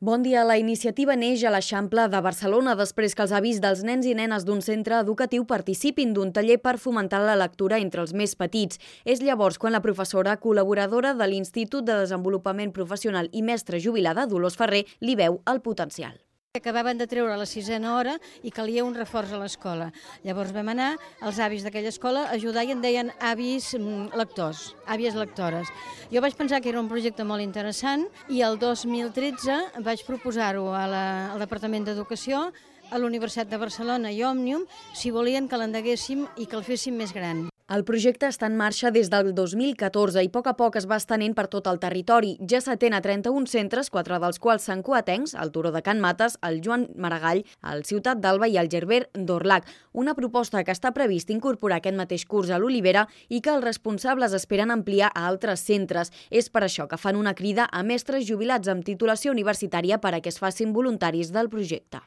Bon dia. La iniciativa neix a l'Eixample de Barcelona després que els avis dels nens i nenes d'un centre educatiu participin d'un taller per fomentar la lectura entre els més petits. És llavors quan la professora col·laboradora de l'Institut de Desenvolupament Professional i mestra jubilada, Dolors Ferrer, li veu el potencial. Acabaven de treure la 6a hora i calia un reforç a l'escola. Llavors vam anar als avis d'aquella escola a ajudar i en deien avis lectors, àvies lectores. Jo vaig pensar que era un projecte molt interessant i el 2013 vaig proposar-ho al Departament d'Educació, a la Universitat de Barcelona i Òmnium, si volien que l'endeguéssim i que el féssim més gran. El projecte està en marxa des del 2014 i a poc es va estenent per tot el territori. Ja s'atén a 31 centres, 4 dels quals són coatencs, el Turó de Can Mates, el Joan Maragall, el Ciutat d'Alba i el Gerber d'Orlac. Una proposta que està previst incorporar aquest mateix curs a l'Olivera i que els responsables esperen ampliar a altres centres. És per això que fan una crida a mestres jubilats amb titulació universitària per a que es facin voluntaris del projecte.